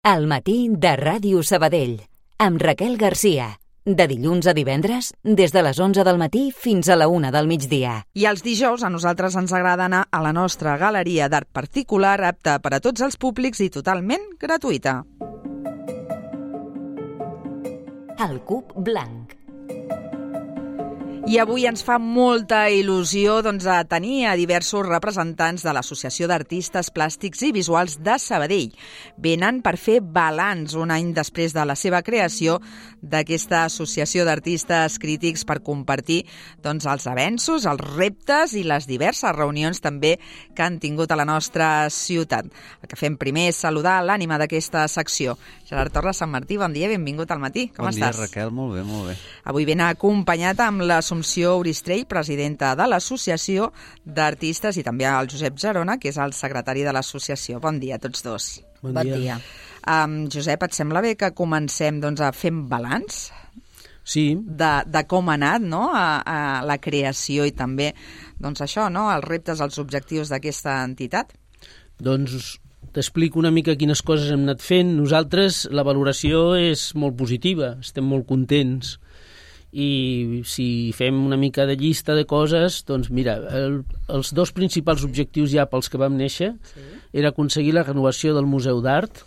Al matí de Ràdio Sabadell, amb Raquel Garcia. De dilluns a divendres, des de les 11 del matí fins a la 1 del migdia. I els dijous a nosaltres ens agrada anar a la nostra galeria d'art particular, apta per a tots els públics i totalment gratuïta. El Cub Blanc. I avui ens fa molta il·lusió tenir a diversos representants de l'Associació d'Artistes Plàstics i Visuals de Sabadell. Venen per fer balanç un any després de la seva creació d'aquesta associació d'artistes crítics per compartir els avenços, els reptes i les diverses reunions també que han tingut a la nostra ciutat. El que fem primer és saludar l'ànima d'aquesta secció. Gerard Torres, Sant Martí, bon dia, benvingut al matí. Com estàs? Bon dia, Raquel, molt bé, molt bé. Avui ben acompanyat amb l'Assumpció Oristrell, presidenta de l'Associació d'Artistes, i també el Josep Gerona, que és el secretari de l'associació. Bon dia a tots dos. Bon dia. Josep, et sembla bé que comencem a fer balanç? Sí. De com ha anat, a la creació i també això, els reptes, els objectius d'aquesta entitat? Doncs t'explico una mica quines coses hem anat fent. Nosaltres, la valoració és molt positiva, estem molt contents. I si fem una mica de llista de coses, doncs mira, els dos principals objectius ja pels que vam néixer era aconseguir la renovació del Museu d'Art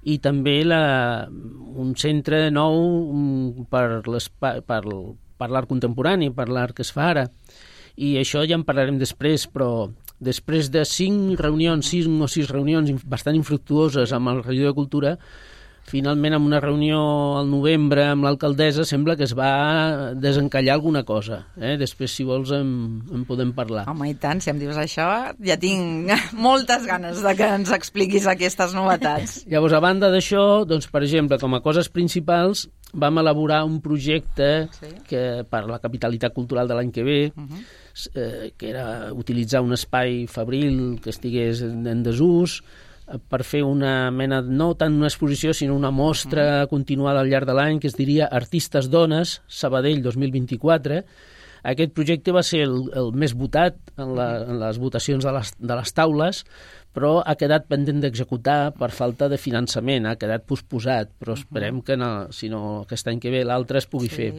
i també un centre nou per l'art contemporani, per l'art que es fa ara. I això ja en parlarem després, però després de 5 o 6 reunions bastant infructuoses amb el regidor de Cultura, finalment, en una reunió al novembre amb l'alcaldessa, sembla que es va desencallar alguna cosa. Després, si vols, en podem parlar. Home, i tant, si em dius això, ja tinc moltes ganes de que ens expliquis aquestes novetats. Llavors, a banda d'això, per exemple, com a coses principals, vam elaborar un projecte per la capitalitat cultural de l'any que ve, que era utilitzar un espai fabril que estigués en desús, per fer una mena, no tant una exposició, sinó una mostra continuada al llarg de l'any, que es diria Artistes Dones, Sabadell 2024. Aquest projecte va ser el més votat en les votacions de les taules, però ha quedat pendent d'executar per falta de finançament, ha quedat posposat, però esperem que si no aquest any que ve l'altre es pugui fer.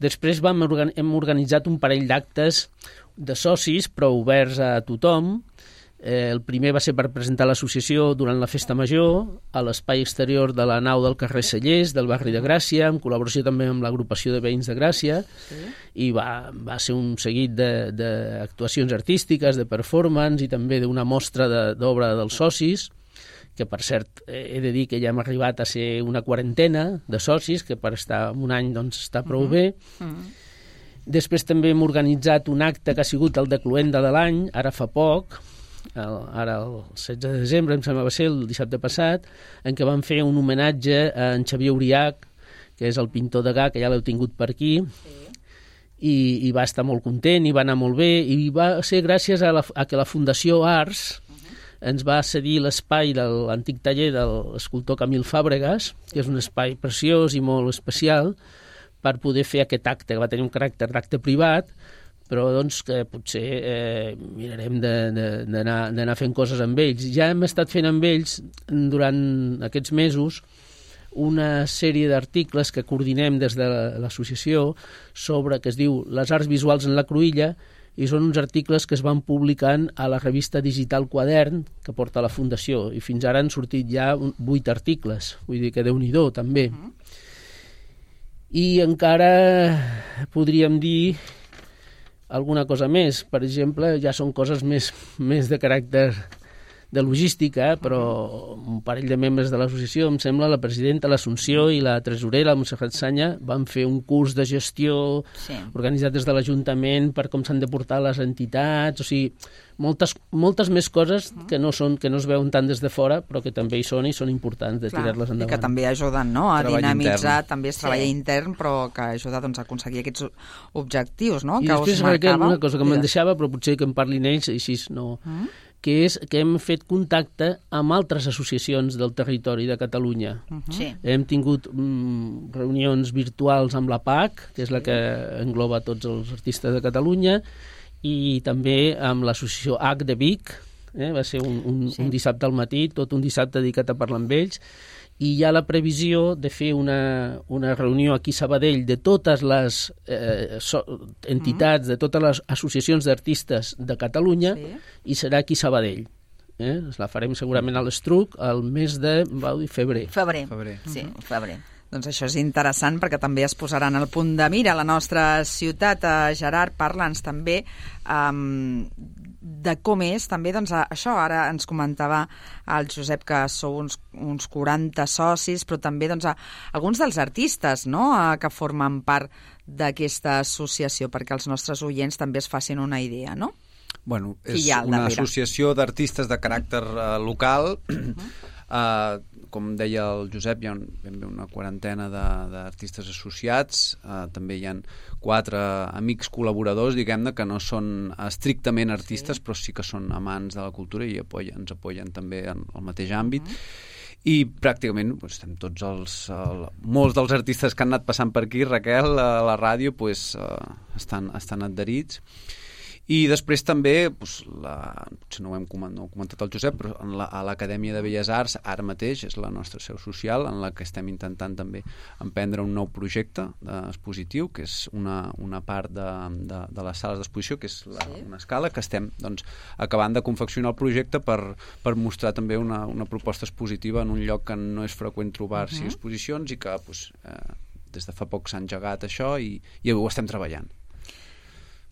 Després hem organitzat un parell d'actes de socis, però oberts a tothom. El primer va ser per presentar l'associació durant la Festa Major a l'espai exterior de la nau del carrer Cellers, del barri de Gràcia, en col·laboració també amb l'agrupació de veïns de Gràcia, i va ser un seguit d'actuacions artístiques, de performance i també d'una mostra d'obra dels socis, que per cert he de dir que ja hem arribat a ser una quarantena de socis, que per estar un any està prou bé. Després també hem organitzat un acte que ha sigut el de Cluenda de l'any, ara fa poc, ara el 16 de desembre, em sembla va ser el dissabte passat, en què vam fer un homenatge a en Xavier Uriach, que és el pintor degà, que ja l'heu tingut per aquí, i va estar molt content, i va anar molt bé, i va ser gràcies a que la Fundació Arts ens va cedir l'espai de l'antic taller de l'escultor Camil Fàbregas, que és un espai preciós i molt especial, per poder fer aquest acte, que va tenir un caràcter d'acte privat, però que potser mirarem d'anar fent coses amb ells. Ja hem estat fent amb ells durant aquests mesos una sèrie d'articles que coordinem des de l'associació que es diu Les arts visuals en la cruïlla, i són uns articles que es van publicant a la revista digital Quadern, que porta la Fundació, i fins ara han sortit ja 8 articles, vull dir que Déu-n'hi-do també. I encara podríem dir alguna cosa més. Per exemple, ja són coses més de caràcter de logística, però un parell de membres de l'associació, em sembla, la presidenta, l'Assumpció i la tresorera, la Montserrat Sanya, van fer un curs de gestió organitzat des de l'Ajuntament per com s'han de portar les entitats, o sigui, moltes més coses que no es veuen tant des de fora, però que també hi són i són importants de tirar-les endavant. I que també ajuden a dinamitzar, també és treball intern, però que ajuda a aconseguir aquests objectius, no? I després, Raquel, una cosa que me'n deixava, però potser que en parlin ells, així no... que és que hem fet contacte amb altres associacions del territori de Catalunya. Hem tingut reunions virtuals amb la PAC, que és la que engloba tots els artistes de Catalunya, i també amb l'associació H de Vic, va ser un dissabte al matí, tot un dissabte dedicat a parlar amb ells, i hi ha la previsió de fer una reunió aquí a Sabadell de totes les entitats, de totes les associacions d'artistes de Catalunya, i serà aquí a Sabadell. La farem segurament a l'Estruc el mes de febrer. Febrer. Sí, febrer. Doncs això és interessant perquè també es posaran al punt de mira a la nostra ciutat. Gerard, parla'ns també de com és també, doncs això, ara ens comentava el Josep que sou uns 40 socis, però també doncs, alguns dels artistes, no?, que formen part d'aquesta associació, perquè els nostres oients també es facin una idea, no? Bueno, és una associació d'artistes de caràcter local. Com deia el Josep, hi ha ben bé una quarantena d'artistes associats. També hi ha 4 amics col·laboradors, diguem-ne, que no són estrictament artistes, però sí que són amants de la cultura i ens apoyen també en el mateix àmbit. I pràcticament estem tots molts dels artistes que han anat passant per aquí, Raquel, a la ràdio, estan adherits. I després també, potser no ho hem comentat el Josep, però a l'Acadèmia de Belles Arts ara mateix és la nostra seu social, en la que estem intentant també emprendre un nou projecte expositiu, que és una part de les sales d'exposició, que és una escala, que estem acabant de confeccionar el projecte per mostrar també una proposta expositiva en un lloc que no és freqüent trobar-s'hi exposicions i que des de fa poc s'ha engegat això i ho estem treballant.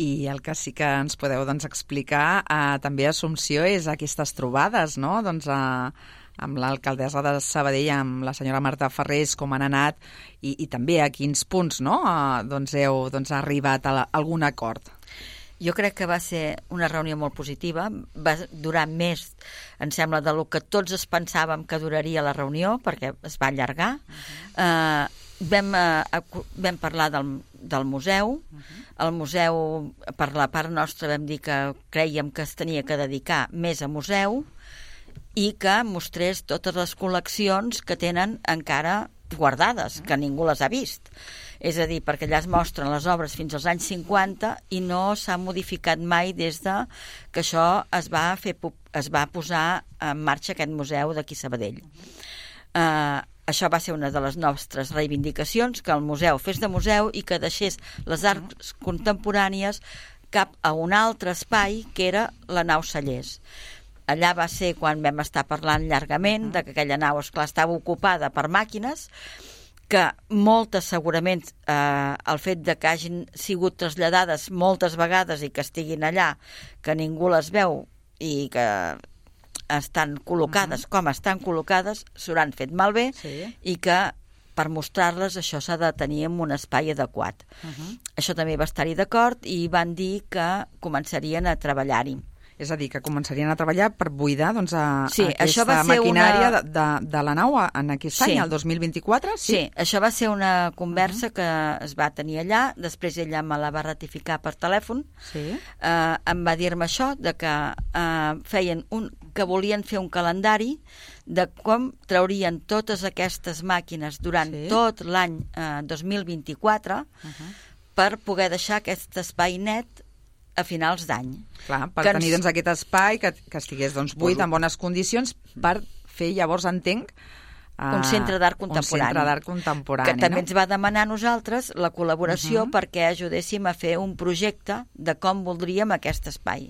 I el que sí que ens podeu explicar també, Assumpció, és aquestes trobades, no?, amb l'alcaldessa de Sabadell, amb la senyora Marta Ferrés, com han anat i també a quins punts, no?, heu arribat a algun acord. Jo crec que va ser una reunió molt positiva, va durar més, em sembla, del que tots es pensàvem que duraria la reunió, perquè es va allargar. Vam parlar del museu. El museu, per la part nostra, vam dir que crèiem que es tenia que dedicar més a museu i que mostrés totes les col·leccions que tenen encara guardades, que ningú les ha vist. És a dir, perquè allà es mostren les obres fins als anys 50 i no s'ha modificat mai des de que això es va posar en marxa aquest museu d'aquí a Sabadell. Això va ser una de les nostres reivindicacions, que el museu fes de museu i que deixés les arts contemporànies cap a un altre espai, que era la nau Cellers. Allà va ser quan vam estar parlant llargament de que aquella nau, esclar, estava ocupada per màquines, que moltes segurament el fet de que hagin sigut traslladades moltes vegades i que estiguin allà, que ningú les veu i que estan col·locades com estan col·locades, s'hauran fet malbé i que per mostrar-les això s'ha de tenir en un espai adequat. Això també va estar-hi d'acord i van dir que començarien a treballar-hi. És a dir, que començarien a treballar per buidar aquesta maquinària de la nau en aquest any, el 2024? Sí, això va ser una conversa que es va tenir allà, després ella me la va ratificar per telèfon, em va dir-me això, de que que volien fer un calendari de com traurien totes aquestes màquines durant tot l'any 2024 per poder deixar aquest espai net a finals d'any. Clar, per tenir aquest espai que estigués buit, en bones condicions, per fer, llavors entenc, un centre d'art contemporani. Que també ens va demanar a nosaltres la col·laboració perquè ajudéssim a fer un projecte de com voldríem aquest espai.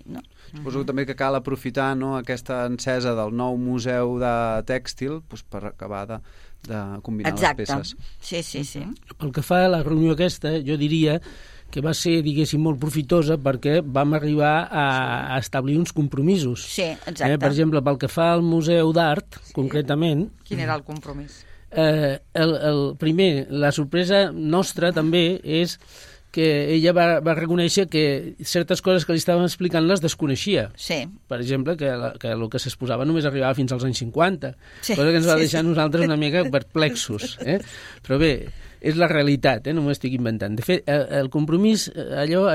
Suposo també que cal aprofitar aquesta encesa del nou museu de tèxtil per acabar de combinar les peces. Sí. Pel que fa a la reunió aquesta, jo diria que va ser, diguéssim, molt profitosa perquè vam arribar a establir uns compromisos. Sí, exacte. Per exemple, pel que fa al Museu d'Art, concretament... Quin era el compromís? Primer, la sorpresa nostra també és que ella va reconèixer que certes coses que li estaven explicant les desconeixia. Sí. Per exemple, que el que s'exposava només arribava fins als anys 50, cosa que ens va deixar nosaltres una mica perplexos. Però bé, és la realitat, no m'ho estic inventant. De fet, el compromís, allò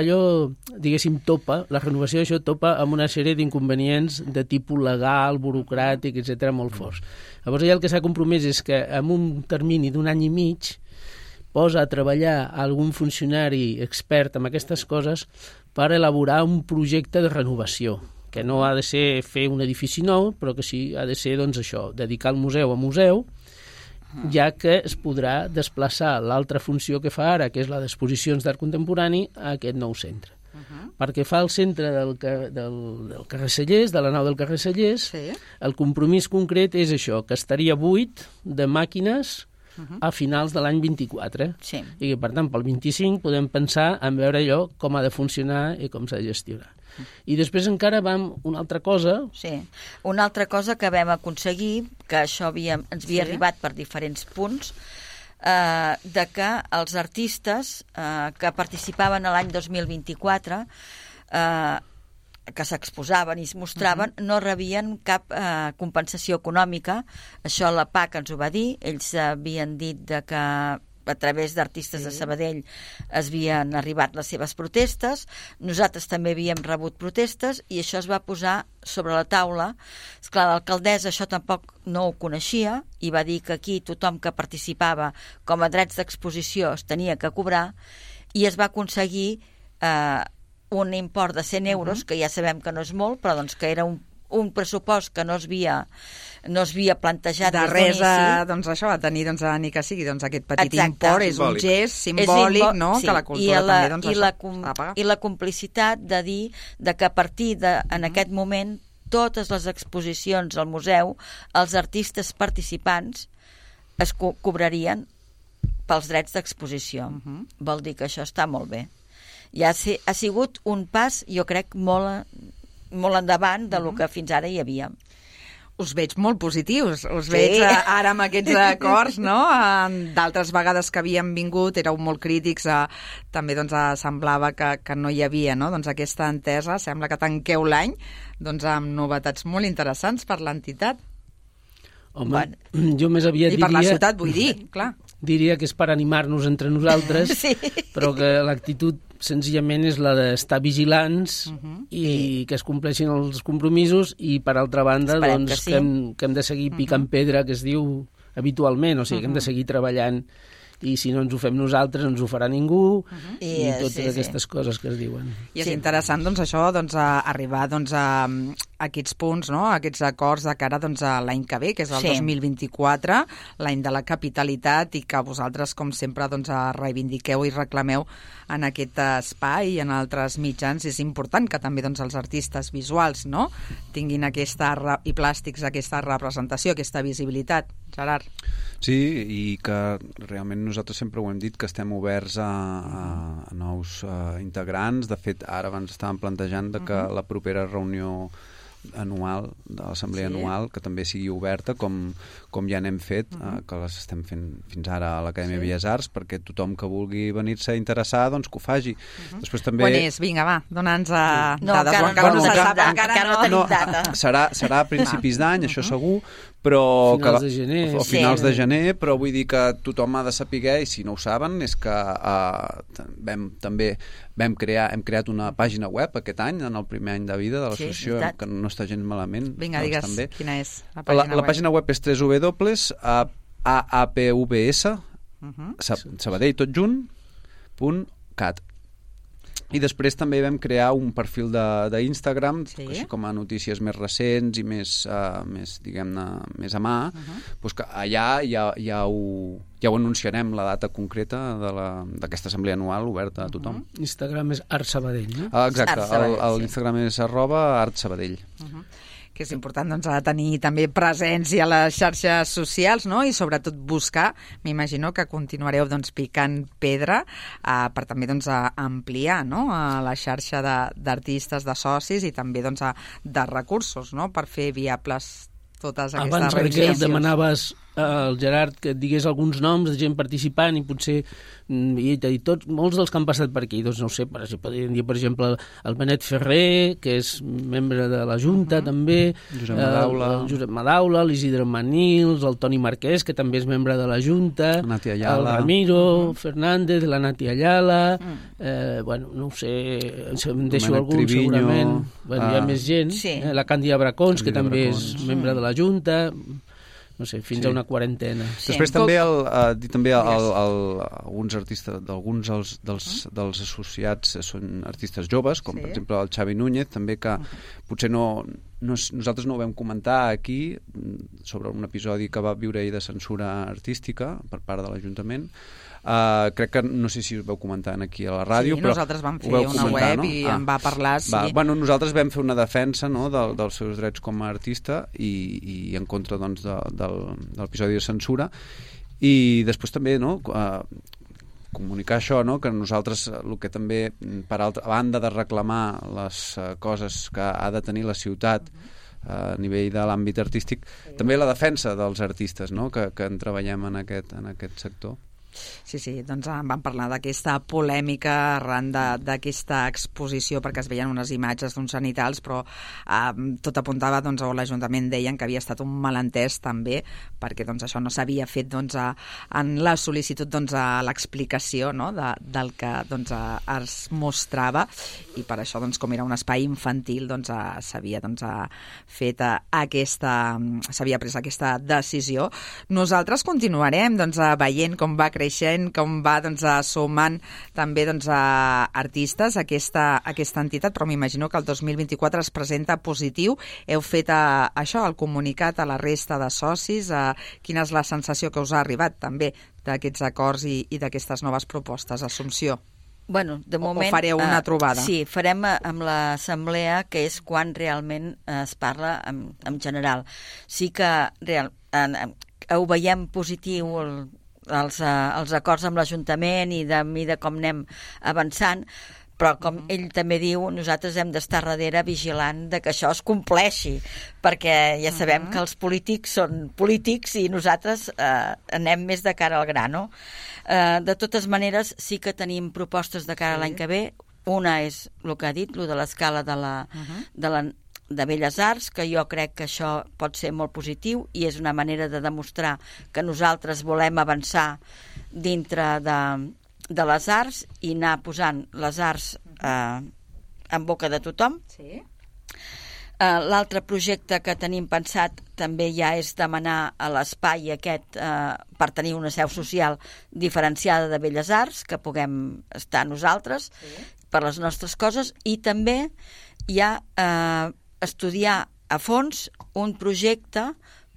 diguéssim, la renovació d'això topa amb una sèrie d'inconvenients de tipus legal, burocràtic, etc., molt forts. Llavors, allà el que s'ha compromès és que en un termini d'un any i mig posa a treballar algun funcionari expert en aquestes coses per elaborar un projecte de renovació, que no ha de ser fer un edifici nou, però que sí ha de ser, doncs, això, dedicar el museu a museu, ja que es podrà desplaçar l'altra funció que fa ara, que és la d'exposicions d'art contemporani, a aquest nou centre. Perquè fa el centre del carrer Cellers, de la nau del carrer Cellers, el compromís concret és això, que estaria buit de màquines a finals de l'any 24. Sí. I que, per tant, pel 25 podem pensar en veure allò com ha de funcionar i com s'ha de gestionar. I després encara vam una altra cosa. Sí, una altra cosa que vam aconseguir, que això ens havia arribat per diferents punts, de que els artistes que participaven a l'any 2024, que s'exposaven i es mostraven, no rebien cap compensació econòmica. Això la PAC ens ho va dir. Ells havien dit que a través d'artistes de Sabadell havien arribat les seves protestes, nosaltres també havíem rebut protestes i això es va posar sobre la taula. Esclar, l'alcaldessa això tampoc no ho coneixia i va dir que aquí tothom que participava com a drets d'exposició es tenia que cobrar i es va aconseguir un import de 100 euros, que ja sabem que no és molt, però doncs que era un pressupost que no es havia plantejat de res doncs això, a tenir ni que sigui aquest petit import, és un gest simbòlic, no? Que la cultura també ha de pagar. I la complicitat de dir que a partir en aquest moment totes les exposicions al museu, els artistes participants es cobrarien pels drets d'exposició. Vol dir que això està molt bé. Ja ha sigut un pas, jo crec, molt endavant del que fins ara hi havia. Us veig molt positius, us veig ara amb aquests acords, no? D'altres vegades que havíem vingut éreu molt crítics, també semblava que no hi havia aquesta entesa. Sembla que tanqueu l'any amb novetats molt interessants per l'entitat. Home, jo més aviat diria... I per la ciutat, vull dir, clar. Diria que és per animar-nos entre nosaltres, però que l'actitud senzillament és la d'estar vigilants i que es compleixin els compromisos i, per altra banda, que hem de seguir picant pedra, que es diu habitualment, o sigui, que hem de seguir treballant i si no ens ho fem nosaltres no ens ho farà ningú i totes aquestes coses que es diuen. I és interessant això, arribar a aquests punts, a aquests acords de cara a l'any que ve, que és el 2024, l'any de la capitalitat, i que vosaltres, com sempre, reivindiqueu i reclameu en aquest espai i en altres mitjans. És important que també els artistes visuals tinguin i plàstics aquesta representació, aquesta visibilitat. Gerard. Sí, i que realment nosaltres sempre ho hem dit, que estem oberts a nous integrants. De fet, ara abans estàvem plantejant que la propera reunió anual, de l'assemblea anual, que també sigui oberta, com ja n'hem fet, que les estem fent fins ara a l'Acadèmia Belles Arts, perquè tothom que vulgui venir-se a interessar, doncs que ho faci. Després també... Quan és? Vinga, va, dona'ns dades. Encara no tenim data. Serà a principis d'any, això segur, però... Finals de gener. O finals de gener, però vull dir que tothom ha de saber, i si no ho saben, és que hem creat una pàgina web aquest any, en el primer any de vida de l'associació, que no està gens malament. Vinga, digues, quina és la pàgina web? La pàgina web és www.aapvs Sabadell tot junt.cat. I després també vam crear un perfil d'Instagram, així com a notícies més recents i més diguem-ne, més a mà, doncs que allà ja ho anunciarem, la data concreta d'aquesta assemblea anual oberta a tothom. Instagram és Art Sabadell, no? Exacte, l'Instagram és @artsabadell. Que és important tenir també presència a les xarxes socials, i sobretot buscar, m'imagino que continuareu picant pedra per també ampliar la xarxa d'artistes, de socis i també de recursos per fer viables totes aquestes reivindicacions. Abans demanaves al Gerard que et digués alguns noms de gent participant i potser molts dels que han passat per aquí, doncs no ho sé, podríem dir, per exemple, el Benet Ferrer, que és membre de la Junta també, el Josep Madaula, l'Isidre Manils, el Toni Marquès, que també és membre de la Junta, el Ramiro Fernández, la Nati Ayala, no ho sé, em deixo algun segurament, hi ha més gent, la Càndida Bracons, que també és membre de la Junta, no sé, fins a una quarantena. Sí. Després també alguns artistes, d'alguns dels associats són artistes joves, com per exemple el Xavi Núñez, també, que potser nosaltres no ho vam comentar aquí sobre un episodi que va viure ell de censura artística per part de l'Ajuntament. Crec que no sé si us veu comentar aquí a la ràdio, però nosaltres vam fer una web i en va parlar. Bueno, nosaltres vam fer una defensa, no, dels seus drets com a artista i en contra, doncs, de l'episodi de censura, i després també, no, comunicar això, no, que nosaltres el que també, per altra banda de reclamar les coses que ha de tenir la ciutat a nivell de l'àmbit artístic, també la defensa dels artistes, no, que en treballem en aquest sector. Sí, doncs vam parlar d'aquesta polèmica arran d'aquesta exposició, perquè es veien unes imatges d'uns sanitals, però tot apuntava, doncs, o l'Ajuntament deien que havia estat un malentès també, perquè doncs, això no s'havia fet en la sol·licitud, a l'explicació, no, del que es mostrava, i per això, com era un espai infantil, s'havia pres aquesta decisió. Nosaltres continuarem veient com va creixent, com va sumant també artistes aquesta entitat, però m'imagino que el 2024 es presenta positiu. Heu fet això, el comunicat a la resta de socis. Quina és la sensació que us ha arribat també d'aquests acords i d'aquestes noves propostes, Assumpció? Bueno, de moment, o fareu una trobada? Sí, farem amb l'assemblea, que és quan realment es parla en general. Sí que ho veiem positiu els acords amb l'Ajuntament i de com anem avançant, però com ell també diu, nosaltres hem d'estar darrere vigilant de que això es compleixi, perquè ja sabem que els polítics són polítics i nosaltres anem més de cara al gra, no? De totes maneres, sí que tenim propostes de cara a l'any que ve. Una és el que ha dit, el de l'escala de Belles Arts, que jo crec que això pot ser molt positiu i és una manera de demostrar que nosaltres volem avançar dintre de les arts i anar posant les arts en boca de tothom. Sí. L'altre projecte que tenim pensat també ja és demanar a l'espai aquest per tenir una seu social diferenciada de Belles Arts, que puguem estar nosaltres per les nostres coses, i també hi ha estudiar a fons un projecte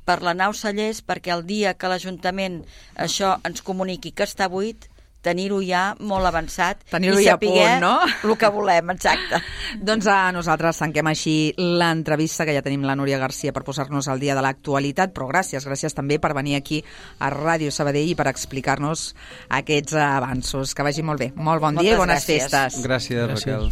per la nau Cellers, perquè el dia que l'Ajuntament això ens comuniqui que està buit, tenir-ho ja molt avançat i saber el que volem, exacte. Doncs nosaltres tanquem així l'entrevista, que ja tenim la Núria Garcia per posar-nos al dia de l'actualitat, però gràcies també per venir aquí a Ràdio Sabadell i per explicar-nos aquests avanços. Que vagi molt bé. Molt bon dia i bones festes. Gràcies, Raquel.